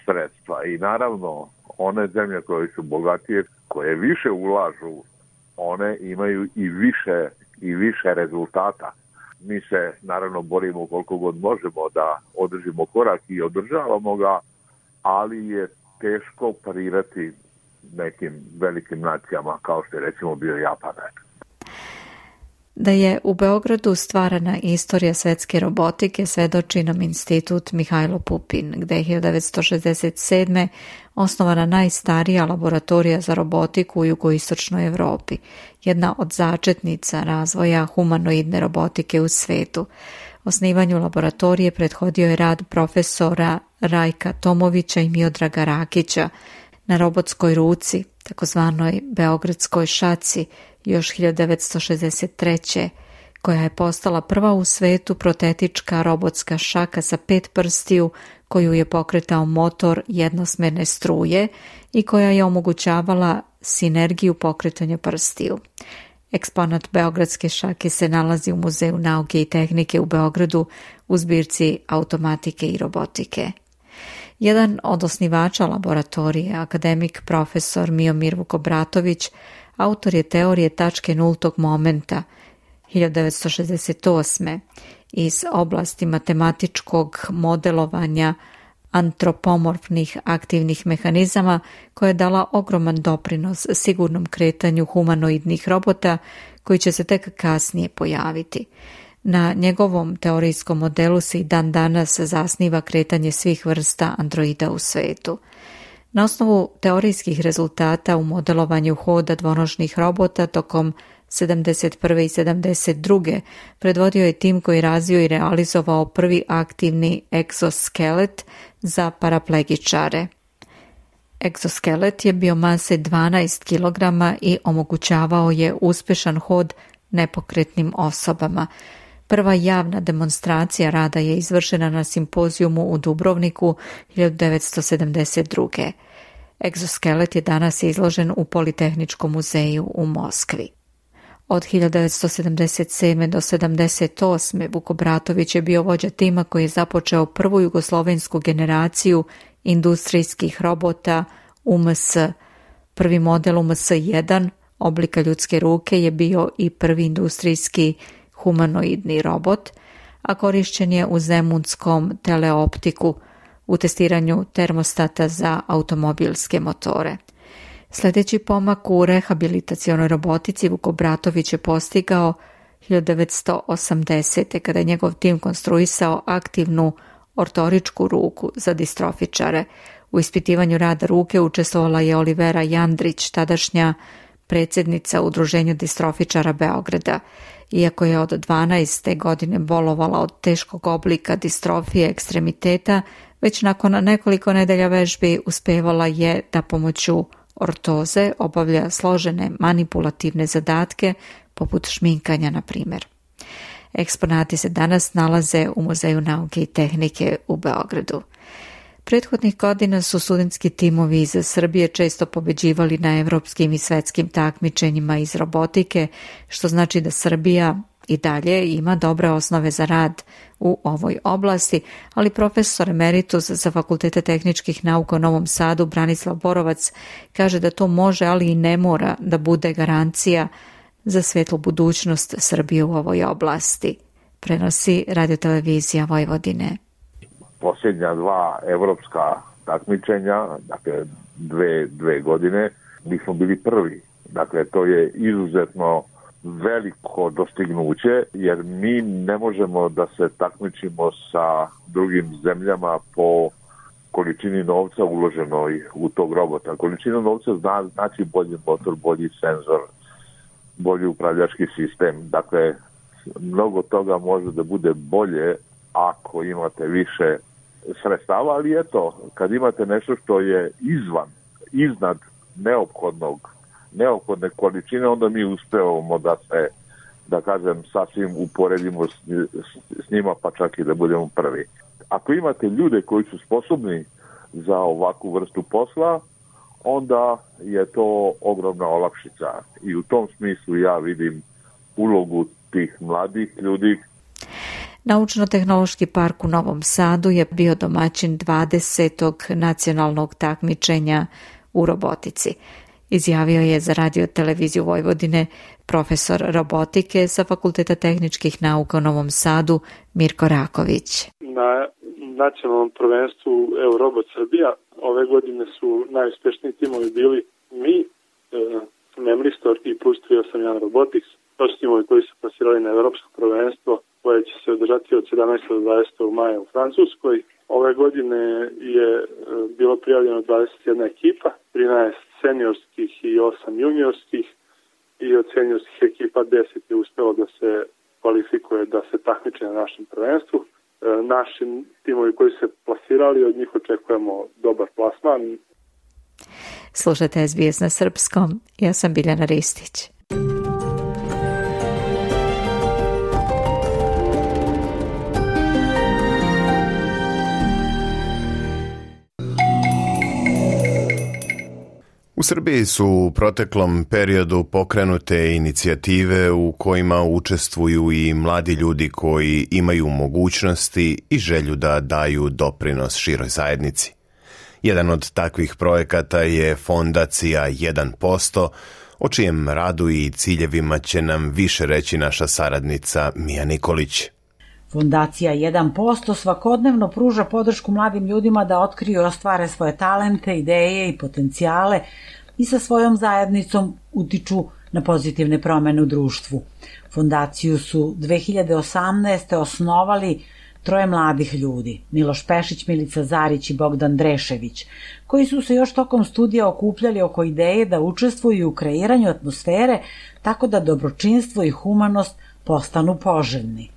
sredstva. I naravno, one zemlje koje su bogatije, koje više ulažu, one imaju i više rezultata. Mi se naravno borimo koliko god možemo da održimo korak i održavamo ga, ali je teško parirati nekim velikim nacijama kao što je recimo bio Japan. Da je u Beogradu stvarana istorija svetske robotike svedoči nam institut Mihajlo Pupin, gde je 1967. osnovana najstarija laboratorija za robotiku u jugoistočnoj Evropi, jedna od začetnica razvoja humanoidne robotike u svetu. Osnivanju laboratorije prethodio je rad profesora Rajka Tomovića i Miodraga Rakića na robotskoj ruci, takozvanoj beogradskoj šaci, još 1963. koja je postala prva u svetu protetička robotska šaka sa 5 prstiju koju je pokretao motor jednosmerne struje i koja je omogućavala sinergiju pokretanja prstiju. Eksponat beogradske šake se nalazi u Muzeju nauke i tehnike u Beogradu u zbirci automatike i robotike. Jedan od osnivača laboratorije, akademik profesor Miomir Vukobratović, autor je teorije tačke nultog momenta 1968. iz oblasti matematičkog modelovanja antropomorfnih aktivnih mehanizama koja je dala ogroman doprinos sigurnom kretanju humanoidnih robota koji će se tek kasnije pojaviti. Na njegovom teorijskom modelu se i dan danas zasniva kretanje svih vrsta androida u svetu. Na osnovu teorijskih rezultata u modelovanju hoda dvonožnih robota tokom 71. i 72. predvodio je tim koji razvio i realizovao prvi aktivni egzoskelet za paraplegičare. Egzoskelet je bio mase 12 kg i omogućavao je uspešan hod nepokretnim osobama. Prva javna demonstracija rada je izvršena na simpozijumu u Dubrovniku 1972. Egzoskelet je danas izložen u Politehničkom muzeju u Moskvi. Od 1977. do 1978. Vuko Bratović je bio vođa tima koji je započeo prvu jugoslovensku generaciju industrijskih robota UMS. Prvi model UMS-1 oblika ljudske ruke je bio i prvi industrijski humanoidni robot, a korišćen je u zemunskom teleoptiku u testiranju termostata za automobilske motore. Sljedeći pomak u rehabilitacionoj robotici Vuko Bratović je postigao 1980. kada je njegov tim konstruisao aktivnu ortoričku ruku za distrofičare. U ispitivanju rada ruke učestvovala je Olivera Jandrić, tadašnja predsjednica Udruženja distrofičara Beograda. Iako je od 12. godine bolovala od teškog oblika distrofije ekstremiteta, već nakon nekoliko nedelja vežbi uspevala je da pomoću ortoze obavlja složene manipulativne zadatke poput šminkanja, na primjer. Eksponati se danas nalaze u Muzeju nauke i tehnike u Beogradu. Prethodnih godina su studentski timovi iz Srbije često pobeđivali na evropskim i svetskim takmičenjima iz robotike, što znači da Srbija i dalje ima dobre osnove za rad u ovoj oblasti, ali profesor emeritus za Fakultete tehničkih nauka u Novom Sadu Branislav Borovac kaže da to može, ali i ne mora da bude garancija za svetlu budućnost Srbije u ovoj oblasti. Prenosi Radiotelevizija Vojvodine. Posljednja dva evropska takmičenja, dakle dve godine, mi smo bili prvi. Dakle, to je izuzetno veliko dostignuće, jer mi ne možemo da se takmičimo sa drugim zemljama po količini novca uloženoj u tog robota. Količina novca znači bolji motor, bolji senzor, bolji upravljački sistem. Dakle, mnogo toga može da bude bolje ako imate više sredstava, ali eto, kad imate nešto što je iznad neophodne količine, onda mi uspevamo da se, da kažem, sasvim uporedimo s njima, pa čak i da budemo prvi. Ako imate ljude koji su sposobni za ovakvu vrstu posla, onda je to ogromna olakšica. I u tom smislu ja vidim ulogu tih mladih ljudi. Naučno-tehnološki park u Novom Sadu je bio domaćin 20. nacionalnog takmičenja u robotici. Izjavio je za Radioteleviziju Vojvodine profesor robotike sa Fakulteta tehničkih nauka u Novom Sadu Mirko Raković. Na nacionalnom prvenstvu Eurobot Srbija ove godine su najuspešniji timovi bili mi, Memristor i Plus 381 Robotics. To su timovi koji su plasirali na Evropsko prvenstvo koje će se održati od 17. do 20. maja u Francuskoj. Ove godine je bilo prijavljeno 21 ekipa, 13 seniorskih i 8 juniorskih, i od seniorskih ekipa 10 je uspelo da se kvalifikuje da se takmiče na našem prvenstvu. Naši timovi koji se plasirali, od njih očekujemo dobar plasman. Slušajte SBS na srpskom, ja sam Biljana Ristić. U Srbiji su u proteklom periodu pokrenute inicijative u kojima učestvuju i mladi ljudi koji imaju mogućnosti i želju da daju doprinos široj zajednici. Jedan od takvih projekata je fondacija 1%, o čijem radu i ciljevima će nam više reći naša saradnica Mija Nikolić. Fondacija 1% svakodnevno pruža podršku mladim ljudima da otkriju i ostvare svoje talente, ideje i potencijale i sa svojom zajednicom utiču na pozitivne promene u društvu. Fondaciju su 2018. osnovali troje mladih ljudi, Miloš Pešić, Milica Zarić i Bogdan Drešević, koji su se još tokom studija okupljali oko ideje da učestvuju u kreiranju atmosfere tako da dobročinstvo i humanost postanu poželjni.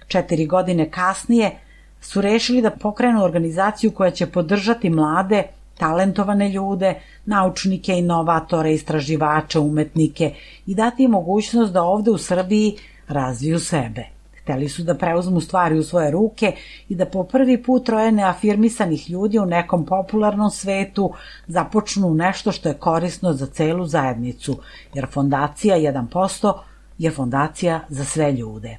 4 godine kasnije su rešili da pokrenu organizaciju koja će podržati mlade talentovane ljude, naučnike, inovatore, istraživače, umetnike i dati im mogućnost da ovde u Srbiji razviju sebe. Hteli su da preuzmu stvari u svoje ruke i da po prvi put troje neafirmisanih ljudi u nekom popularnom svetu započnu nešto što je korisno za celu zajednicu, jer fondacija 1% je fondacija za sve ljude.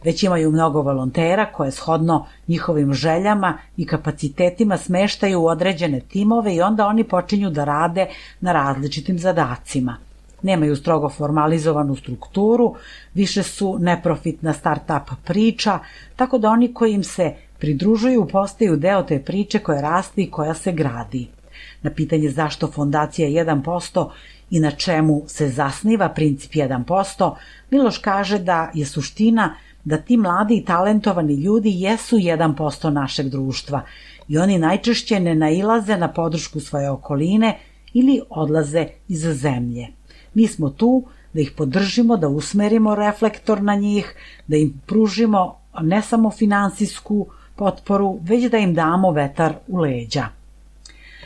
Već imaju mnogo volontera koje shodno njihovim željama i kapacitetima smeštaju u određene timove i onda oni počinju da rade na različitim zadacima. Nemaju strogo formalizovanu strukturu, više su neprofitna start-up priča, tako da oni koji im se pridružuju postaju deo te priče koja raste i koja se gradi. Na pitanje zašto fondacija 1% i na čemu se zasniva princip 1%, Miloš kaže da je suština da ti mladi i talentovani ljudi jesu 1% našeg društva i oni najčešće ne nailaze na podršku svoje okoline ili odlaze iz zemlje. Mi smo tu da ih podržimo, da usmerimo reflektor na njih, da im pružimo ne samo finansijsku potporu, već da im damo vetar u leđa.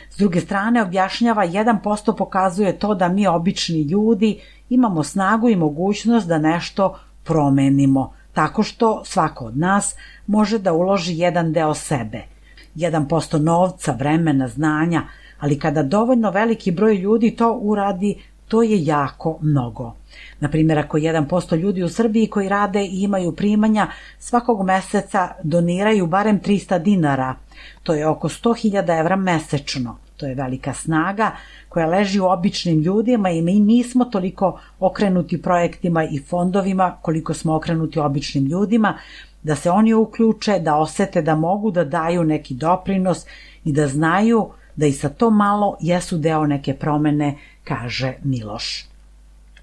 S druge strane, objašnjava 1% pokazuje to da mi obični ljudi imamo snagu i mogućnost da nešto promenimo, tako što svako od nas može da uloži jedan deo sebe. 1% novca, vremena, znanja, ali kada dovoljno veliki broj ljudi to uradi, to je jako mnogo. Naprimjer, ako 1% ljudi u Srbiji koji rade i imaju primanja svakog meseca doniraju barem 300 dinara, to je oko 100.000 evra mesečno. To je velika snaga koja leži u običnim ljudima i mi nismo toliko okrenuti projektima i fondovima koliko smo okrenuti običnim ljudima, da se oni uključe, da osete da mogu da daju neki doprinos i da znaju da i sa to malo jesu deo neke promene, kaže Miloš.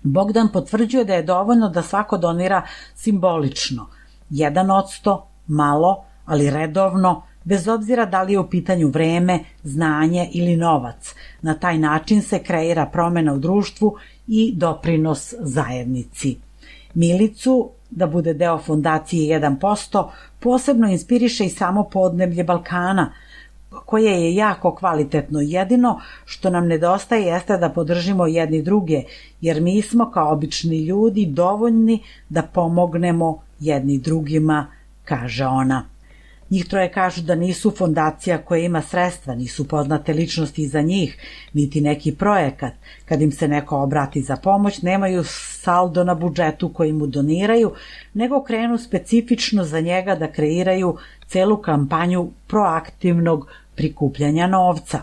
Bogdan potvrđuje da je dovoljno da svako donira simbolično, 1%, malo, ali redovno, bez obzira da li je u pitanju vreme, znanje ili novac. Na taj način se kreira promena u društvu i doprinos zajednici. Milicu, da bude deo fondacije 1%, posebno inspiriše i samo podneblje Balkana, koje je jako kvalitetno. Jedino što nam nedostaje jeste da podržimo jedni druge, jer mi smo kao obični ljudi dovoljni da pomognemo jedni drugima, kaže ona. Njih troje kažu da nisu fondacija koja ima sredstva, nisu poznate ličnosti iza njih, niti neki projekat. Kad im se neko obrati za pomoć, nemaju saldo na budžetu koji mu doniraju, nego krenu specifično za njega da kreiraju celu kampanju proaktivnog prikupljanja novca.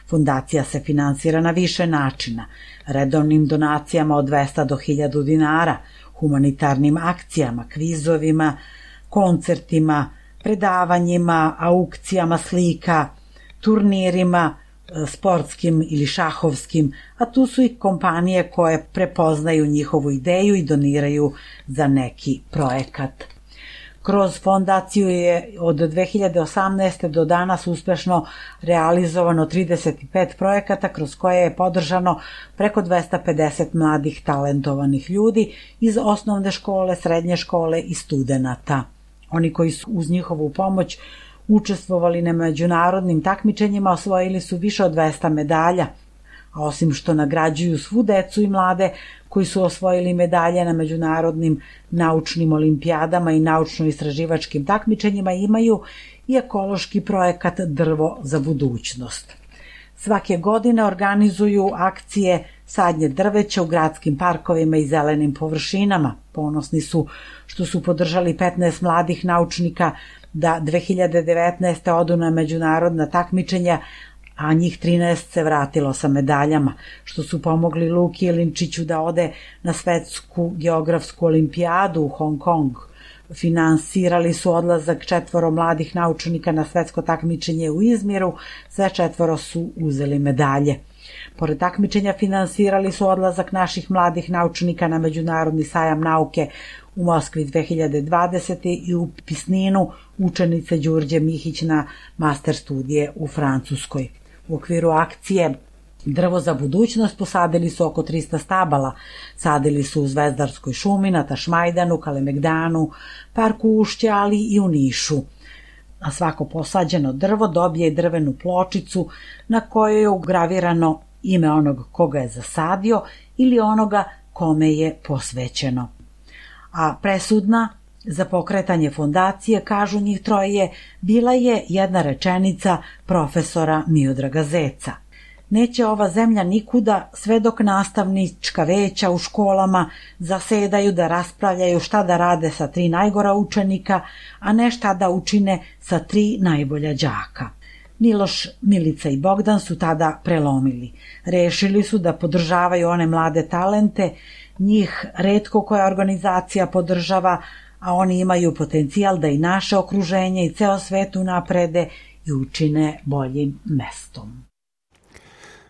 Fondacija se finansira na više načina, redovnim donacijama od 200 do 1000 dinara, humanitarnim akcijama, kvizovima, koncertima, predavanjima, aukcijama slika, turnirima, sportskim ili šahovskim, a tu su i kompanije koje prepoznaju njihovu ideju i doniraju za neki projekat. Kroz fondaciju je od 2018. do danas uspešno realizovano 35 projekata kroz koje je podržano preko 250 mladih talentovanih ljudi iz osnovne škole, srednje škole i studenata. Oni koji su uz njihovu pomoć učestvovali na međunarodnim takmičenjima osvojili su više od 200 medalja, a osim što nagrađuju svu decu i mlade koji su osvojili medalje na međunarodnim naučnim olimpijadama i naučno-istraživačkim takmičenjima, imaju i ekološki projekat Drvo za budućnost. Svake godine organizuju akcije sadnje drveća u gradskim parkovima i zelenim površinama. Ponosni su što su podržali 15 mladih naučnika da 2019. odu na međunarodna takmičenja, a njih 13 se vratilo sa medaljama, što su pomogli Luki Jelinčiću da ode na svetsku geografsku olimpijadu u Hong Kong. Finansirali su odlazak 4 mladih naučnika na svetsko takmičenje u Izmiru, sve 4 su uzeli medalje. Pored takmičenja finansirali su odlazak naših mladih naučnika na Međunarodni sajam nauke u Moskvi 2020. i u Pisninu učenice Đurđe Mihić na master studije u Francuskoj. U okviru akcije Drvo za budućnost posadili su oko 300 stabala. Sadili su u Zvezdarskoj šumi, na Tašmajdanu, Kalemegdanu, Parku Ušća, ali i u Nišu. a svako posađeno drvo dobije i drvenu pločicu na kojoj je ugravirano ime onog koga je zasadio ili onoga kome je posvećeno. A presudna za pokretanje fondacije, kažu njih troje, bila je jedna rečenica profesora Miodraga Zeca. Neće ova zemlja nikuda sve dok nastavnička veća u školama zasedaju da raspravljaju šta da rade sa 3 najgora učenika, a ne šta da učine sa 3 najbolja đaka. Miloš, Milica i Bogdan su tada prelomili. Rešili su da podržavaju one mlade talente, njih retko koja organizacija podržava, a oni imaju potencijal da i naše okruženje i ceo svet unaprede i učine boljim mestom.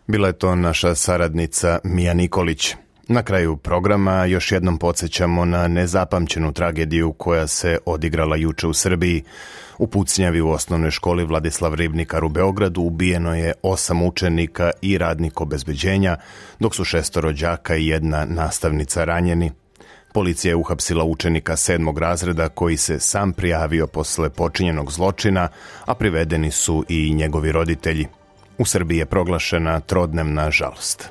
Bila je to naša saradnica Mija Nikolić. Na kraju programa još jednom podsjećamo na nezapamćenu tragediju koja se odigrala juče u Srbiji. U pucnjavi u osnovnoj školi Vladislav Ribnikar u Beogradu ubijeno je 8 učenika i radnik obezbeđenja, dok su 6 đaka i 1 nastavnica ranjeni. Policija je uhapsila učenika 7. razreda koji se sam prijavio posle počinjenog zločina, a privedeni su i njegovi roditelji. U Srbiji je proglašena trodnevna žalost.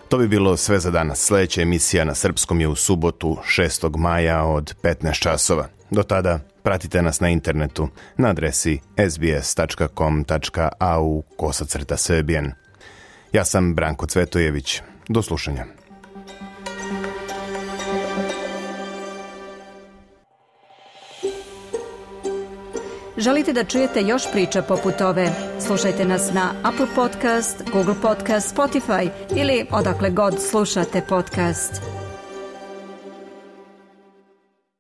To bi bilo sve za danas. Sljedeća emisija na srpskom je u subotu 6. maja od 15 časova. Do tada pratite nas na internetu na adresi sbs.com.au/srbijen. Ja sam Branko Cvetojević. Do slušanja. Želite da čujete još priča poput ove? Slušajte nas na Apple Podcast, Google Podcast, Spotify ili odakle god slušate podcast.